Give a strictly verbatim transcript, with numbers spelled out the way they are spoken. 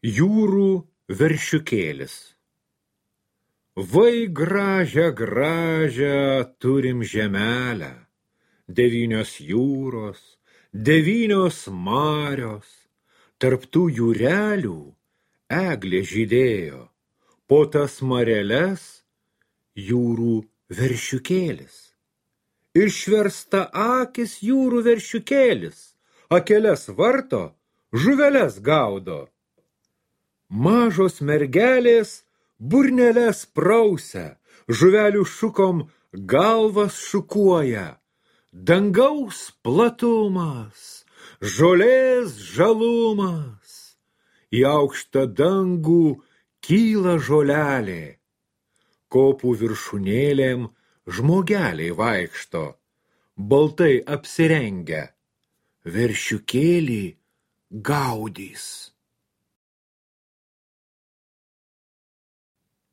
Jūrų veršiukėlis. Vai gražią, gražią turim žemelę, devynios jūros, devynios marios, tarp tų jūrelių eglė žydėjo, po tas mareles jūrų veršiukėlis. Išversta akis jūrų veršiukėlis, akeles varto, žuveles gaudo. Mažos mergelės burneles prausia, žuvelių šukom galvas šukuoja. Dangaus platumas, žolės žalumas, į aukštą dangų kyla žolelė. Kopų viršūnėlėm žmogeliai vaikšto, baltai apsirengę, veršiukėlį gaudys.